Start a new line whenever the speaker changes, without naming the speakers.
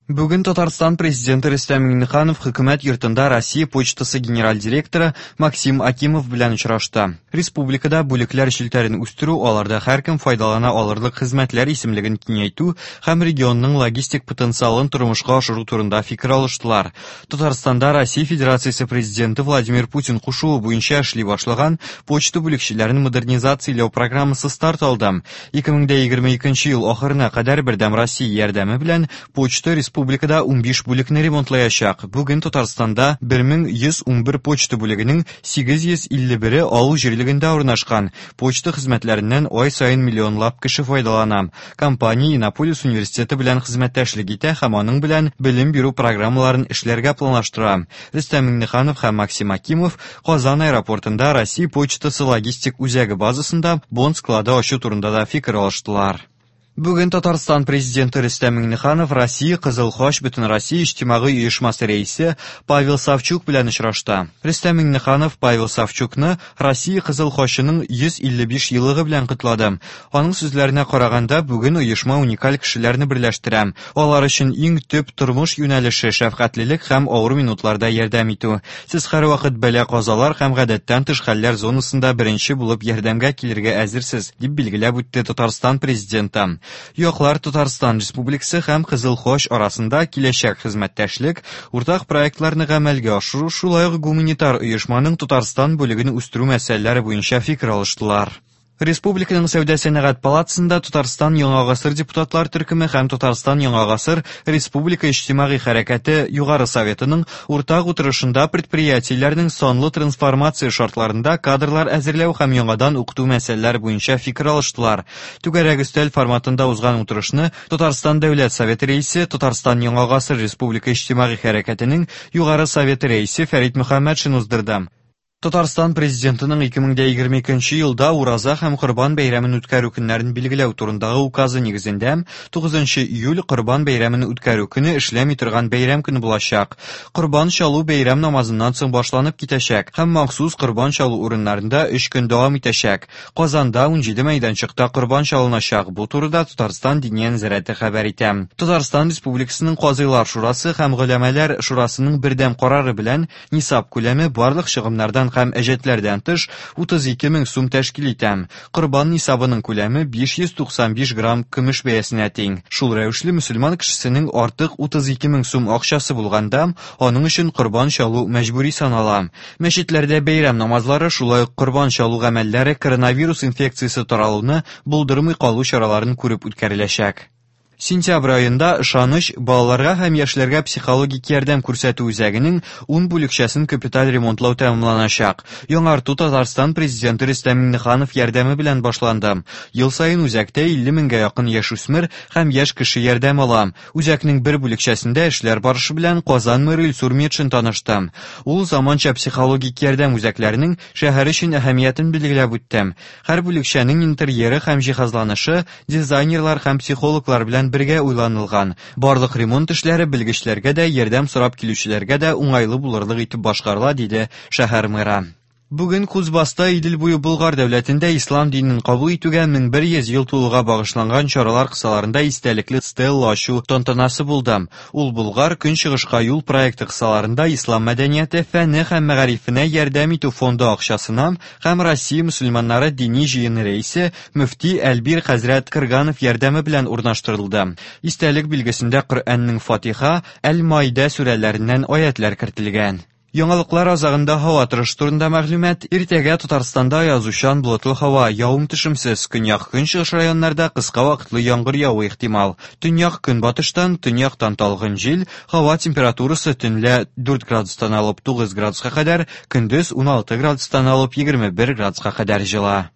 Бүген Татарстан Президенты Рөстәм Миңнеханов Хөкүмәт йортында Россия почтасы генераль директоры Максим Акимов белән очрашты. Республикада бүлекләр челтәрен үстерү, аларда һәркем файдалана алырлык хезмәтләр исемлеген киңәйтү һәм регионның логистик потенциалын тормышка ашыру турында фикер алыштылар. Татарстанда Россия Федерациясе Президенты Владимир Путин кушуы буенча эшли башлаган почта бүлекчәләрен модернизацияләү программасы старт алды. 2022 ел ахырына кадәр Бердәм Россия ярдәме белән почта республикада 15 бүлекне ремонтлаячак. Бүген Татарстанда 1111 почта бүлегенең 851-е авыл җирлегендә урнашкан. Почта хезмәтләреннән ай саен миллионлап кеше файдалана. Компания Иннополис университеты белән хезмәттәшлек итә һәм аның белән белем бирү программаларын эшләргә планлаштыра. Рөстәм Миңнеханов һәм Максим Акимов Казан аэропортында Россия почтасы логистик үзәге базасында бонд склады ачу турында да фикер алыштылар. Бүген Татарстан Президенты Рөстәм Миңнеханов Россия Кызыл Хач Бөтенроссия иҗтимагый оешмасы рәисе Павел Савчук белән очрашты. Рөстәм Миңнеханов Павел Савчукны Россия Кызыл Хачының 155 еллыгы белән котлады. Аның сүзләренә караганда, бүген оешма уникаль кешеләрне берләштерә. Алар өчен иң төп тормыш юнәлеше шәфкатьлелек һәм авыр минутларда ярдәм итү. Сез һәрвакыт бәла-казалар һәм гадәттән тыш хәлләр зонасында беренче булып ярдәмгә килергә әзерсез, дип билгеләп үтте Татарстан Президенты. Яклар Татарстан Республикасы һәм Кызыл Хач арасында киләчәк хезмәттәшлек, уртак проектларны гамәлгә ашыру, шулай ук гуманитар оешманың Татарстан бүлеген үстерү мәсьәләләре буенча фикер алыштылар. Республиканың Сәүдә-сәнәгать палатасында Татарстан Яңа гасыр депутатлар төркеме һәм Татарстан Яңа гасыр республика иҗтимагый хәрәкәте Югары Советының уртак утырышында предприятиеләрнең санлы трансформация шартларында кадрлар әзерләү һәм яңадан укыту мәсьәләләре буенча фикер алыштылар. Түгәрәк өстәл форматында узган утырышны Татарстан Дәүләт Советы Рәисе, Татарстан Яңа гасыр республика иҗтимагый хәрәкәтенең Югары Советы рәисе Фәрит Мөхәммәтшин уздырды. Татарстан Президентының 2022 елда Ураза һәм Корбан бәйрәмен үткәрү көннәрен билгеләү турындагы указы нигезендә 9 июль Корбан бәйрәмен үткәрү көне эшләми торган бәйрәм көне булачак. Корбан чалу бәйрәм намазыннан соң башланып китәчәк һәм махсус корбан чалу урыннарында 3 көн дәвам итәчәк. Казанда 17 мәйданчыкта корбан чалыначак. Бу турыда Татарстан Диния нәзарәте хәбәр итә. Татарстан Республикасының Казыйлар шурасы һәм Голәмәләр шурасының бердәм карары белән Нисаб күләме барлык чыгымнардан һәм әҗәтләрдән тыш 32 мең сум тәшкил итә. Корбан нисабының күләме 595 грамм көмеш бәясенә тиң. Шул рәвешле мөселман кешесенең артык 32 мең сум акчасы булганда, аның өчен корбан чалу мәҗбүри санала. Мәчетләрдә бәйрәм намазлары, шулай ук корбан чалу гамәлләре коронавирус инфекциясе таралуны булдырмый калу чараларын күреп үткәреләчәк. Сентябрь аенда Ышаныч балаларга һәм яшьләргә психологик ярдәм күрсәтү үзәгенең ун бүлекчәсен капиталь ремонтлау тәмамланачак. Яңарту Татарстан Президенты Рөстәм Миңнеханов ярдәме белән башланды. Ел саен үзәктә 50 меңгә якын яшүсмер һәм яшь кеше ярдәм ала. Үзәкнең бер бүлекчәсендә эшләр барышы белән Казан мэры Илсур Метшин танышты. Ул заманча психологик ярдәм үзәкләренең шәһәр өчен әһәмиятен билгеләп үтте. Һәр бүлекчәнең интерьеры һәм җиһазланышы дизайнерлар һәм психологлар белән бергә уйланылган. Барлык ремонт эшләре белгечләргә дә, ярдәм сорап килүчеләргә дә уңайлы булырлык итеп башкарыла, диде шәһәр мэры. Бүген Кузбасста Идел буе Болгар дәүләтендә ислам динен кабул итүгә 1100 ел тулуга багышланган чаралар кысаларында истәлекле стелла ачу тантанасы булды. Ул Болгар Көнчыгышка юл проекты кысаларында Ислам мәдәнияте, фәне һәм мәгарифенә ярдәм итү фонды акчасына һәм Россия мөселманнары дини җыены рәисе мөфти Әлбир хәзрәт Кырганов ярдәме белән урнаштырылды. Истәлек билгесендә Коръәннең Фатиха, Әл-Майдә сүрәләреннән аятьләр кертелгән. Яңалыклар азагында һава торышы турында мәгълүмат. Иртәгә Татарстанда аязучан болытлы һава, явым-төшемсез, көньяк-көнчыгыш районнарда кыска вакытлы яңгыр явуы ихтимал. Төньяк-көнбатыштан, төньяктан талгын җил, һава температурасы төнлә 4 градустан алып 9 градуска кадәр, көндез 16 градустан алып 21 градуска кадәр җыла.